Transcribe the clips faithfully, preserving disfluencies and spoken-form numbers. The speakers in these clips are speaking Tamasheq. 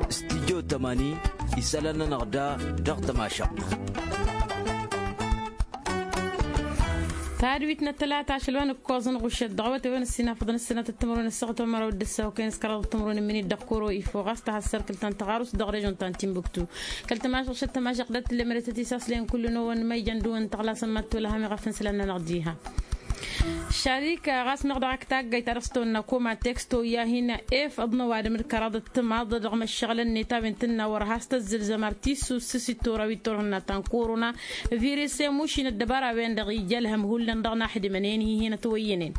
Stijjo tămani isălan-nănăɣ da dăɣ-tămašăɣt. Tadwit n-ăttălata ašăl wa n-ǝkkoẓăn ɣušăt dăɣ-awătay wa n-ăssinafăḍăn ăssinatăt timǝrwen ăssaɣăt wa n-măraw d-ǝssaw kăyăn s-kăraḍăt timǝrwen n-imǝnit dăɣ-koro ifo ɣas tahăssărkǝlt ta n-tăɣarust dăɣ-režon ta n-timbuktu. Kăl-tămašăɣt šăt tămašăɣt dat-tǝllem ere tăt-isaslen kull-năwăn ma ijăn dăwăn tăɣlasăn ma t-tolhăm iɣăf n-isălan-nănăɣ diha. Šarika ɣas meɣ dăɣ-ak taggayt ta dăɣ-s tăwănna koma teksto i-ad-hin-efăḍ n-ăwadǝm d-kăraḍ d-timaḍ dăɣ-imăššăɣǝlăn-net a-wen tǝnna wăr has-tăzzǝlzăm ar tissǝssǝs i-tura wi t-turhǝnna ta n-korona virus i-mušin ăddăbara-wen-dăɣ ija ălhăm hullan dăɣ-inaxdimăn-en hi-hin-ătwăyyănen.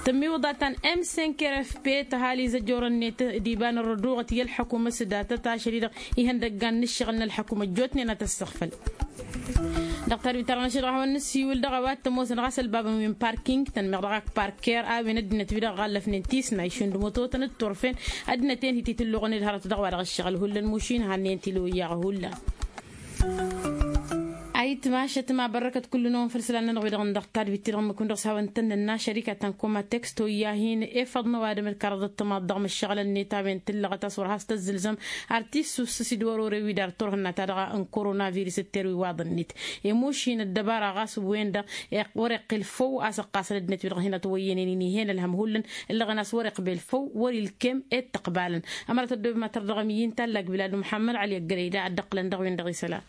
Tămmiwǝḍa ta n-m cinq r f p tăhal izăjorăn-net d-iba n-ărrăduɣăt i-ălḥăkum s-datăt ašăl-i-dăɣ ihăndăggan n-ǝššăɣǝl n-ălḥăkum ăjjootnen ad-tăssăɣfăl. Dăɣ-tadwit-ta-dăɣ n-ašăl dăɣ-a-wa n-nǝssiwǝl dăɣ-a-wa t-ămoosăn ɣas ălbabăn wi n-parking tănmeɣ dăɣ-ak parker a-wen ăddinăt wi-dăɣ ɣallăfnen tisna išund mutotăn d-turfen ăddinăt-en hi-titǝlluɣăn-dd hărăt dăɣ-wa-dăɣ ǝššăɣǝl hullan mušin hannen tilǝwǝyyaɣ hullan. Ayǝtmašăt ma bărrăkăt kull-năwăn făll-isălan-nănăɣ wi-dăɣ n-dăɣ-tadwit-ti-dăɣ n-mǝkun dăɣ-s hawăn-tăn-nǝnna šărika ta n-koma teksto i-ad-hin-efăḍ n-ăwadǝm d-kăraḍăt timaḍ dăɣ-imăššăɣǝlăn-net a-wen tǝllăɣăt a-s wăr has-tăzzǝlzăm ar tissǝssǝs i-dd-wăr-ore wi dar turhǝnna ta dăɣ-n korona virus d-terwiwaḍ-net. Emušin ăddăbara ɣas wen-dăɣ wăr-iqqǝl făw a-s ǝqqasăn ăddinăt wi-dăɣ hin-ătwăyyănen inihen ălhăm hullan ǝllăɣăn a-s wăr-iqbel făw wăr-ilkem i-dd-tăqbalăn. Ămărat ăddoobem ad-tărdăɣăm i-inta ăllak bilad muḥămmăd ăli ăggălăy da ad-dd-ăqqǝlăn dăɣ-wen-dăɣ isălan.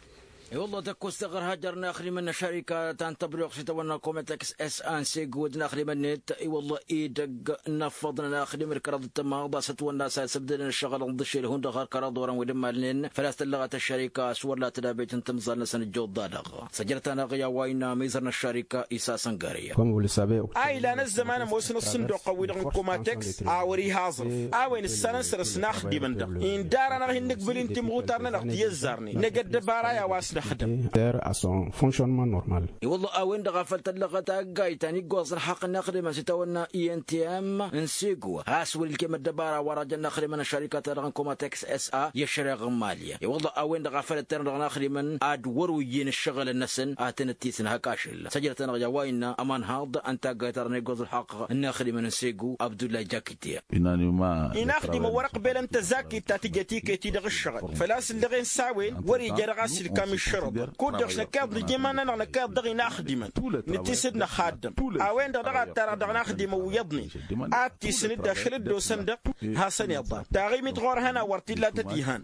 I-wălla tăkkost taɣărhajăr n-axdimăn n-ašarika ta n-tăbruyuɣt s-itawănna kometex s a n-segu d-inaxdimăn-net i-wălla idăgg n-afăḍnăn axdimăn d-kăraḍ d-tămaḍ a-s ătwănna a-s a isăbdădăn ǝššăɣǝl n-ḍǝšel hundăɣ har kăraḍ wărăn wi d-ămmalnen făl-a-s tăllăɣăt ăššarika a-s wăr la tădabet n-timẓal-năsăn ǝjjuḍ-da-dăɣ. Săjrăt-anăɣ i-a-wa innă amizăr n-ăššarika isa săngăre. A ilan ăzzăman ămoosăn ăṣṣǝnduq-wi-dăɣ n-komatex a wăr-iha aẓrǝf a-wen ǝssanăn săr-s n-axdimăn-dăɣ indar-anăɣ hin-nǝkbǝl-in timɣutar-nănăɣ ti ăzzarnen năgg ăddăbara i-a-wa s-năxdăm. I-wălla a-wen-dăɣ a făl tăllăɣăt taggayt ta n-iggoẓ n-ălḥaqq n-inaxdimăn s-itawănna i n t m n-sego a-s wăr-ilkem ăddăbara wa-dăɣ jăn inaxdimăn n-ašarika-ta-dăɣ n-komatex s a i-ăššăreɣ n-mali. I-wălla a-wen-dăɣ a făl ăttărăn dăɣ-inaxdimăn ad-wăr-oyyen ǝššăɣǝlăn-năsăn ad-tăn-ăttisǝnhăk ašăl săjdăt-anăɣ i-a-wa innă ămanhaḍ ăntaggayt-ta-dăɣ n-iggoẓ ălḥaqq n-inaxdimăn n-sego abdullay jakitya. Inaxdimăn wăr-ăqbelăn tăzakit ta tǝjăt iket-i dăɣ-ǝššăɣǝl făl-a-s ǝllăɣen s-a-wen wăr-ija dăɣ-a-s ilkam iššărăḍăn kud-dăɣ s-năkkaḍ nǝj iman-nănăɣ năkkaḍ dăɣ-inaxdimăn nǝttis d-năxaddăm. A-wen-dăɣ dăɣ-ad-tarăɣ dăɣ-inaxdimăn wi iyyăḍnen ad-t-isǝn-dd ašăl dd-osăn-dăɣ. Hasăn-iḍan taɣimit ɣur-hăn a wăr t-illa tăt-ihan.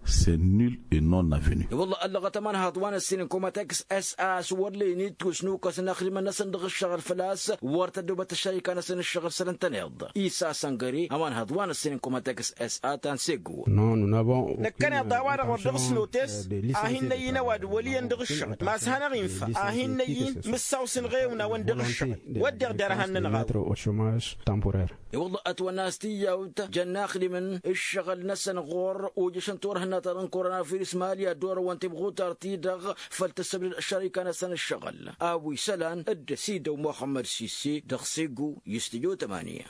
I-wălla ăllăɣăt ămanhaḍ wa n-ăssin n-komatex s a s-wăr lăyăn ittus n-ukăs n-inaxdimăn-năsăn dăɣ-ǝššăɣǝl făl-a-s wăr tăddobăt ăššărika-năsăn ǝššăɣǝl săr ǝntăneḍ. Isa săngăre ămanhaḍ wa n-ăssin n-komatex s a ta n-sego. Năkkăneḍ a-wa-dăɣ wăr dăɣ-s notes a hin-năyy n-ăwadǝm wăl' iyyăn dăɣ-ǝššăɣǝl ma s-hanăɣ-infa a hin-năyy n-mǝssaw s-ǝnɣăyăwna-wăn dăɣ-ǝššăɣǝl wădden derhan-nănăɣ a-wen. I-wălla ătwănna a-s tiyyawt jăn inaxdimăn ǝššăɣǝl-năsăn ɣur-ojăšăn turhǝnna-ta-dăɣ n-korona virus mali ad-dd-orăwăn timɣutar-ti-dăɣ făl tǝssăbdăd ăššărika-năsăn ǝššăɣǝl a-wa isălan dd-ăsidăw muxămmăd sisi dăɣ-sego. I-stujo tămania.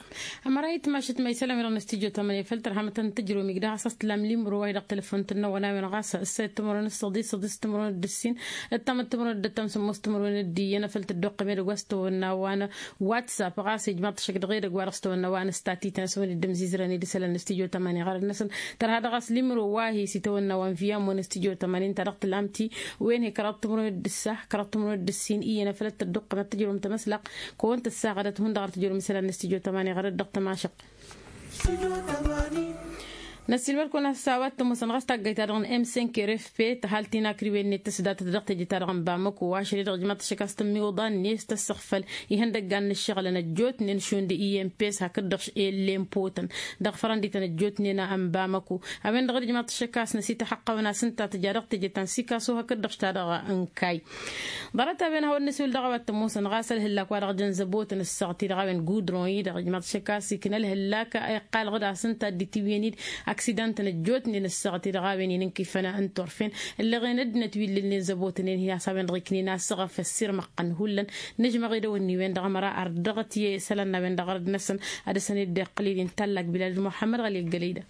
Ămăra itmašăt ma isălan-wi-dăɣ n-stujo tămania făl tărhamăt n-tǝjrǝwăm igdăh a-s tǝllam limro wa-hi-dăɣ telăfon tǝnnăwăn a-wen ɣas ǝssăyăt timǝrwen s-săḍis săḍis timǝrwen d-ǝssin ǝttamăt timǝrwen d-ăttam sǝmmos timǝrwen d-iyyăn a făl tăddoqqăm edăgg wa s-tăwănna wa n-whatsapp ɣas ijmaḍ-t ăššăk dăɣ-edăgg wa dăɣ-s tăwănna wa n-statităn s-wăn dd-ǝmzizrăn i-dăɣ isălan n-stujo tămania ɣărăt-năsăn tărha dăɣ-a-s limro wa hi-s itawănna wa n-viya ămmun n-stujo tămania ǝnta dăɣ-tǝllam-ti wen hi-kăraḍ timǝrwen d-ǝssa kăraḍ timǝrwen d-ǝssin iyyăn a făl ăttăddoqqăm ad-tǝjrǝwăm tamăslăɣt kăwăn tǝssaɣădăt hundăɣ ar tǝjrǝwăm isălan n-stujo tămania ɣărăt dăɣ-tămašăɣt. Năssiilmăd-kăwăn a-s a-wa t-ămoosăn ɣas taggayt-ta-dăɣ n-m cinq r f p tăhalt inakriwen-net tǝsdatăt dăɣ-teje-ta-dăɣ n-bamăko ašăl-i-dăɣ ijmaḍ-t ăššăk a-s tămmiwǝḍa-net tăssăɣfăl ihăndăggan n-ǝššăɣǝlăn ăjjootnen šund i-m p s hakd-dăɣ ellem potăn dăɣ-fărăndităn ăjjootnen a n-bamăko. A-wen-dăɣ dd-ijmaḍ-t ăššăk a-s năsităxăqqăwăn a-s ǝnta tǝja dăɣ-teje ta n-sikaso hakd-dăɣ ta-dăɣ n-kayy. Ḍarăt-a-wen hawăn-năsiwǝl dăɣ-a-wa t-ămoosăn ɣas ălhǝllak wa dăɣ-jăn zăbotăn ǝssaɣ-t-i-dăɣ a-wen gudron-i-dăɣ ijmaḍ-t ăššăk a-s ikna ălhǝllak iqqalăɣ-dd a-s ǝnta a dd-itiwǝyăn-dd aksidantăn ăjjootnen ǝssaɣ-t-i-dăɣ a-wen inǝnkifăn n-turfen ǝllăɣen ăddinăt wi ǝllǝlnen zăbotnen hi-a-s a-wen-dăɣ iknen asăɣăf ăssirmăɣ-tăn hullan. Nǝžmăɣ edăwănni-wen-dăɣ ămăra ar dăɣ-t i-isălan n-a-wen-dăɣ ărăd-năsăn ad-dăr-săn dd-iqqǝl-dd inta ăllak bilal d-muḥămmăd ɣăli ăggălăy-dăɣ.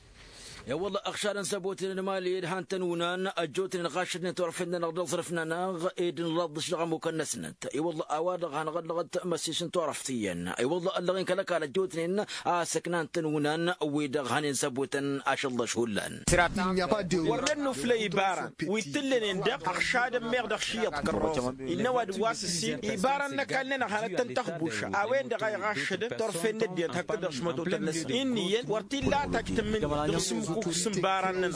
I-wălla ăɣšadăn s-ăbotnen n-imali ed han-tăn-unan ăjjootnen ɣašădnen turăfen-nănăɣ d-aẓrǝf-nănăɣ ed n-laḍdǝš dăɣ-ămmukăn-năsnăt. I-wălla a-wa-dăɣ hanăɣ-ăllăɣăt măssis n-turăft iyyăn. I-wălla ăllăɣen kăl-ăkall ăjjootnen a-s ǝknan-tăn unan wi-dăɣ hănen s-ăbotăn ašăllăš hullan. Wăr nănnuflăy ibaran wi t-tǝllănen dăɣ-ăɣšadăn meɣ dăɣ-šiyyăḍ kărrosăn. Innă ăwadǝm wa s-ǝssin ibaran n-ăkall-nănăɣ hanăt-tăn-tăxbuša a-wen-dăɣ a iɣaššădăn turfen n-ăddinăt hakd-dăɣ šmătotăn-năsăn inn'-iyyăn wăr t-illa a tajj tǝmmǝn dăɣ-sǝmmǝkuk s-imbaran-nănăɣ.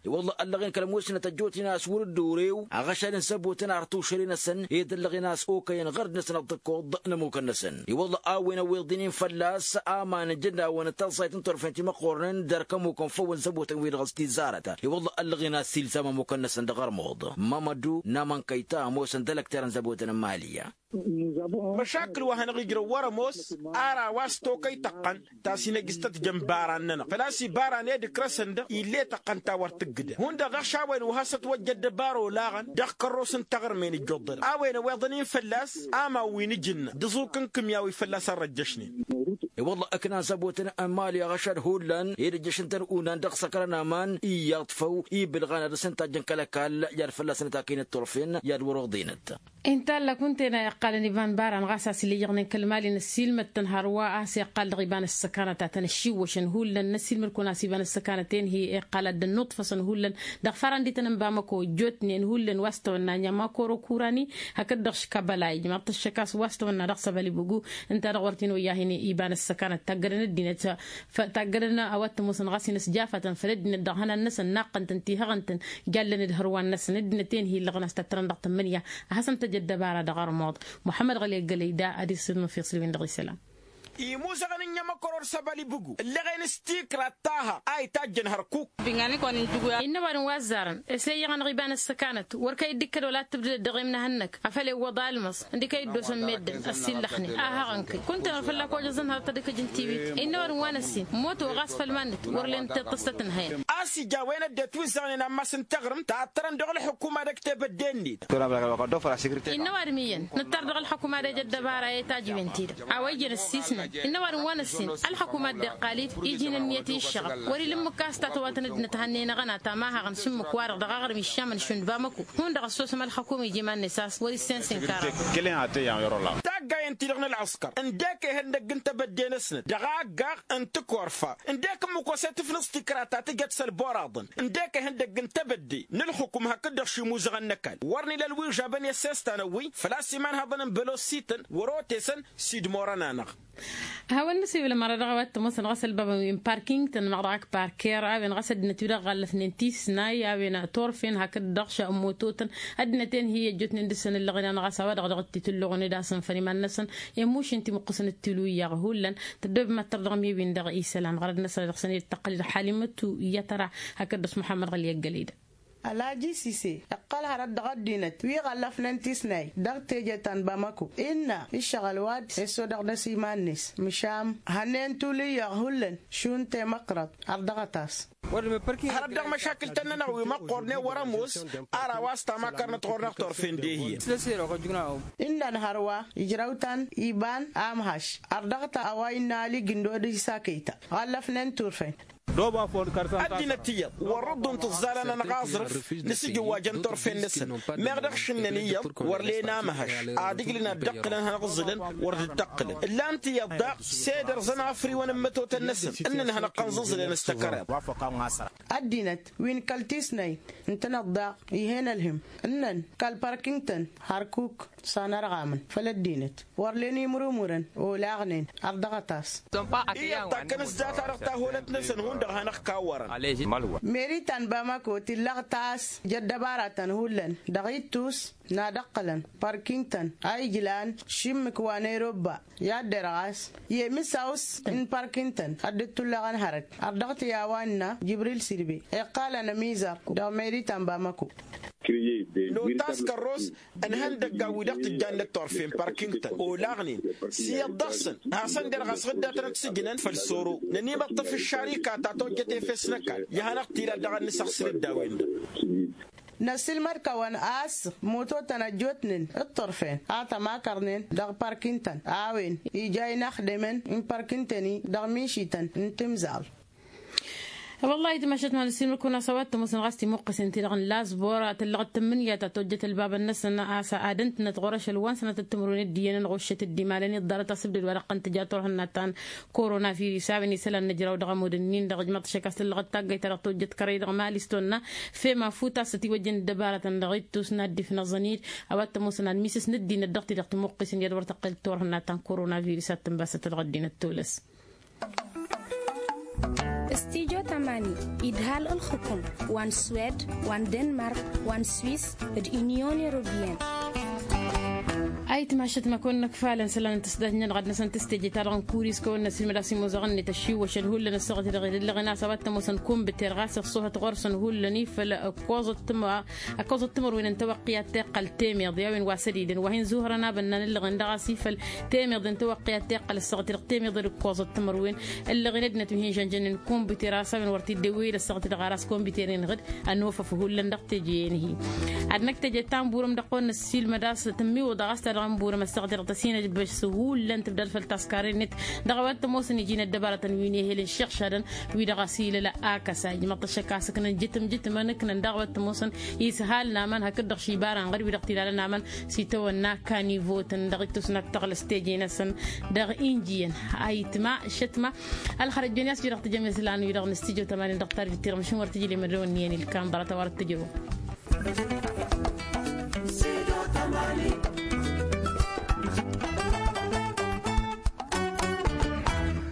I-wălla ăllăɣen kăl-ămoosnăt ăjjootnen a-s wăr-dd-orew aɣăšadăn s-ăbotăn ar tušăre-năsăn ed ăllăɣen a-s okăyăn ɣărd-năsăn ăḍḍăkkoḍ n-ămmukăn-năsăn. I-wălla a-wen ăwweḍ inin fălla-s aman ǝjǝnnawăn d-taẓẓayt n-turfen timăqqornen d-erk ămmukăn făw n-săbotăn-wi-dăɣ s-tizarăt. I-wălla ăllăɣen a-s ilzam ămmukăn-năsăn dăɣ-ărmuḍ. Mămădu n-amănkăyta ămoosăn d-ălăkter n-săbotăn n-imali. Măšakǝl wa hanăɣ-ijrăw wăr-ămoos ar a-wa s-tokăy tăqqăn ta s-inăjjǝstăt jăn-ibaran-nănăɣ făl-a-s ibaran ed ǝkrăsăn-dăɣ ill'-e tăqqăn ta wăr tǝggǝdăn hundăɣ dăɣ-šawăyăn wa has-ătwăjja ăddăbara olaɣăn dăɣ-kărros n-taɣrǝmen ǝjjuḍărăn a-wen ăweḍăn-in fălla-s ama wi n-ǝjǝnna d-aẓuk n-kǝmya wi fălla-s ărrăjjăšnen. I-wălla ǝknan s-ăbotăn n-imali ăɣšad hullan ed ǝjjăšăn-tăn unan dăɣ-săkrăn aman iyyăḍ făw ibǝlɣan ad-dăr-săn tajjăn kăl-ăkall i-ad-fălla-săn ătakăynăt turfen i-ad-wăr-oḍinăt. Intallăk wǝnta-en a iqqalăn iba n-ibaran ɣas a-s ila ijăɣnen kăl-imali năssiilmăd-tăn hărwa a-s iqqal dăɣ-iba n-ăssăkanăt a tăn-ăššiwwăšăn hullan năssiilmăd-kăwăn a-s iba n-ăssăkanăt-en hi-iqqal ad-dd-ănnuṭfăsăn hullan dăɣ-farăn dităn n-bamăko ăjjootnen hullan wa s-tawănna ănniya makoro kurani hakd-dăɣ škabăla ijmaḍ-t ăššăk a-s wa s-tawănna dăɣ-săbălibǝgu. Ǝnta-dăɣ wăr t-in-oyya a hin-iba n-ăssăkanăt taggădăn ăddinăt taggădăn a-wa t-ămoosăn ɣas inăsjafătăn făll-ăddinăt dăɣ-ihănan-năsăn naqqăn-tăn tihăɣăn-tăn. Jallăn d-hărwan-năsăn ăddinăt-en hi-illăɣăn a-s tattărăn dăɣ-tămmǝnǝya a hasăn-tăj ăddăbara dăɣ-armuḍ. Muḥămmăd ɣăli ăggălăy da ad-issǝdmǝfeɣ s-ǝlwin dăɣ-isălan. Imuzăɣăn n-iyyăm ăkăr or s-ăbăl ibǝgu ǝllăɣen s-tikra taha a itajjăn hărkuk. Innă ăwadǝm wa ăzzarăn s-e iyyăɣ-anăɣ iba n-ăssăkanăt wăr kăy-dd-ikkăd wăla t-tǝbdǝdăd dăɣ-emnăhănnăk afăl ewwăḍ almăẓ ǝndǝk a iddosăn meddǝn ăssiillăxnen a hăɣăn-kăy kunta-năɣ fălla-k ojăẓăn hărăt ad-ikăj n-tiwit. Innă ăwadǝm wa n-ăssin moto ɣas făll-iman-net wăr len tiṭṭǝstăt n-hăyăn. A-s ija a-wen ăddinăt wi ǝzzaɣnen ammas n-taɣrǝmt tattărăn dăɣ-ălxukuma dăgg-tebădde-net. Innă ăwadǝm iyyăn nǝttar dăɣ-ălxukuma d-eja ăddăbara i-tajǝwen-ti-dăɣ a-wa ijăn ăssiisnăn. Innă ăwadǝm wa n-ăssin ălxukuma dd-iqqal-dd iji n-ǝnniyăt i-ǝššăɣăb wăr-ila ǝmmǝk a-s tatăwatăn ăddinăt hannăynăɣăn a tamahăɣăn s-ǝmmǝk-wa-dăɣ dăɣ-aɣrǝm iššamăn šund bamăko. Hundăɣ ăssosăm ălxăkum iji iman-net a-s wăr-issensen kara. Taggayen-ti-dăɣ n-ălɣăskăr ǝndek ehăndăgg n-tebădde-năsnăt dăɣ-aggaɣ n-tikwarfa ǝndek ǝmmǝk wa s-e-tǝfnǝẓ tikra ta tǝjăt s-ălboraḍăn ǝndek ehăndăgg n-tebădde n-ǝlxǝkum hakd-dăɣ šimuzăɣăn n-ăkall wăr nǝla ălwižabăn i-ăssestan ăwwǝy făl-a-s imanhăḍăn n-bălosităn wăr-otesăn. S-idmorăn-anăɣ. Hawăn-nǝsǝyǝw lămăra dăɣ-a-wa t-ămoosăn ɣas ălbabăn wi n-parking-tăn măɣ dăɣ-ak parker a-wen ɣas ăddinăt wi-dăɣ ɣallătnen tisnay a-wen turfen hakd-dăɣ šămmototăn. Ăddinăt-en hi-ăjjootnen dăr-săn ǝllăɣnen ɣas a-wa-dăɣ dăɣ-t-itǝlluɣnen d-asǝnfăn iman-năsăn i-mušǝn timǝqqǝsăn d-tilu iyyăɣ hullan. Tăddoobem ad-tărdăɣăm i-win-dăɣ isălan ɣărăd-năsăn dăɣ-săn i-dd-tăqqăl d-ălḥalimăt u iyyăt ăra hakd dăɣ-s muḥămmăd ɣăli ăggălăy-dăɣ. Ălhaji sise iqqăl hărăt dăɣ-ăddinăt wi ɣăllăfnen tisnay dăɣ-teje ta n-bamako innă iššăɣǝl wa dd-ăssodăɣ dăr-s iman-net măšan hănnen tuli iyyăɣ hullan šund temăqrăḍt. Ărdăɣăt-as. Hărăt dăɣ-măšakǝl-tăn-nănăɣ wi măqqornen wăr-ămoos ar a-wa s-tamakarnăt ɣur-năɣ turfen d-ehiyăn. Innăn hărwa ijrăw-tăn iba n-amhăš ărdăɣăt a-wa innă alij ǝndod isakăy-ta ɣăllăfnen turfen. Ăddinăt iyyăḍ wăr-dd-unt ǝẓẓalăn-anăɣ aẓrǝf n-asǝjǝwwajăn turfen-năsăn meɣ dăɣ-šǝnnăn iyyăḍ wăr len amhăš ad-ǝjlǝn ad-dd-ǝqqǝlăn hanăɣ-ǝẓǝlăn. Wăr dd-ǝqqǝlăn ǝllan-t iyyăḍ daɣ s-ed ărẓăn afriwăn n-imătotăn-năsăn ǝnnăn hanăɣ-kănẓǝẓǝlăn s-tăkăreḍt. Ăddinăt wi n-kăl-tisnay ǝntăneḍ daɣ ih'-en ălhǝm ǝnnăn kăl-parking-tăn hărkuk s-anărɣamăn făll-ăddinăt. Wăr len imrǝmrǝn olaɣnen ărdăɣăt-as. Iyyăḍ takkăn s-data-dăɣ tahulăt-năsăn hundăɣ hanăɣ-kawwărăn. Meri ta n-bamako tillăɣ tas jăddăbaratăn hullan dăɣ-ittus n-ad-ǝqqǝlăn parking-tăn a ijlan šǝmmǝk wa n-erobba i-ad-derɣas i-emǝsaw-s n-parking-tăn ad-dd-tullăɣăn hărăt. Ărdăɣ-t i-a-wa innă jibril sirbe iqqalăn ămizăr dăɣ-meri ta n-bamako. Notas kărros ănhăndăgga wi-dăɣ tǝjjannăt turfen parking-tăn olaɣnen s-iyyăḍ dăɣ-săn hasăn-derɣas ɣǝddatăn ad-t-sǝjnăn făll-soro. Nănimăṭṭăf ǝššarika ta tojjăt efes n-ăkall i-ad-hanăɣ-t-ila dăɣ-ad-nǝsăɣsǝl dd-a-wen-dăɣ. Năsǝlmăd kăwăn a-s mototăn ăjjootnen d-turfen a tămakărnen dăɣ-parking-tăn a-wen ija inăxdemăn n-parking-tăn-i dăɣ-mišităn n-timẓal. Wăllah itmašăt ma n-ăssiilmăr-kăwăn a-s a-wa t-ămoosăn ɣas timǝqqǝsen-ti-dăɣ n-lazbor a tăllăɣăt tǝmmǝnǝya ta tojjăt ălbabăn-năsăn a-s ad-ǝntǝnăt ɣur-ašăl wa n-sănatăt timǝrwen dd-iyyăn ănɣuššăt dd-imalăn iḍarăt asǝbdăd wa dăɣ-tăn-tǝja turhǝnna ta n-koronavirus a-wen isălan n-ǝjraw dăɣ-ămudd-ǝnnin-dăɣ ǝjmăḍ-t šăk a-s tăllăɣăt taggayt-ta-dăɣ tojjăt kărăy dăɣ-mali s-tonna fem afut a-s ătiwăjjăn dd-ăbarătăn dăɣ-ittus n-ad-dd-ifnăẓăn-dd a-wa t-ămoosăn ad-misǝs n-ăddinăt dăɣ-ti-dăɣ timǝqqǝsen i-ad-wăr tăqqel turhǝnna ta n-koronavirus ad-tǝnbasăt dăɣ-ăddinăt tolăs. Studio tamani idhal ǝlxǝkum wa n-swed wa n-denmark wa n-swis d-unyon europeyăn. Ayǝtmašăt ma kăwăn-năkfalăn isălan n-tǝsdajnen dăɣ-ad-năsăn tǝsteje-ta-dăɣ n-kuris kăwăn-năsilmăd a-s imuzăɣăn-net ăššiwwăšăn hullan ăssaɣăt-i-dăɣ edăllăɣen a-s a-wa t-ămoosăn kumbǝter ɣas ăṣṣuhăt ɣur-săn hullan ifăl ǝkkoẓăt tǝmǝrwen n-tawăqqi ad-tiqqăl temeḍe a-wen wa sădidăn wa hin-zuhărăn abănnan ǝllăɣen dăɣ-a-s ifăl temeḍe n-tawăqqi ad-tiqqăl ăssaɣăt-i-dăɣ temeḍe d-ǝkkoẓăt tǝmǝrwen ǝllăɣen ăddinăt wi hin-žănžănnen kumbǝter a-s a-wen wăr t-dd-ewweyăd ăssaɣăt-i-dăɣ ar a-s kumbǝter-en ɣǝd ănofăf hullan dăɣ-teje-en-hi. Ad-năkk teje ta n-burăm dăɣ-kăwăn-năssilmăd a-s tǝmmiwǝḍăɣ a-s ta dăɣ-n burăm ăssaɣăt-i-dăɣ tăsinăjbăš s-hullan tǝbdad făll-taskaren-net dăɣ-a-wa t-ămoosăn iji n-ăddăbarătăn wi n-ehel n-iššăɣšadăn wi-dăɣ a-s ilăla. Ak ăsa ijmăḍ-t ăššăk a-s ǝknăn jǝtǝm-jǝtǝmăn ǝknăn daɣ a-wa t-ămoosăn ishal n-aman hakd-dăɣ ši bara n-ɣăr wi-dăɣ t-ilalăn aman s-itawănna kanivotăn dăɣ-ittus n-ad-tăɣlăs teje-năsăn dăɣ-injiyăn. Ayǝtma šătma ălxărăt jon i-a-s wi-dăɣ tǝjăm islan-wi-dăɣ n-stujo tămanin dăɣ-tarjǝt-ti-dăɣ măšin wăr tǝjǝl i-mădrăwăn n-iyyăn ilkan ḍarăt a-wa dăɣ-tǝjrăw.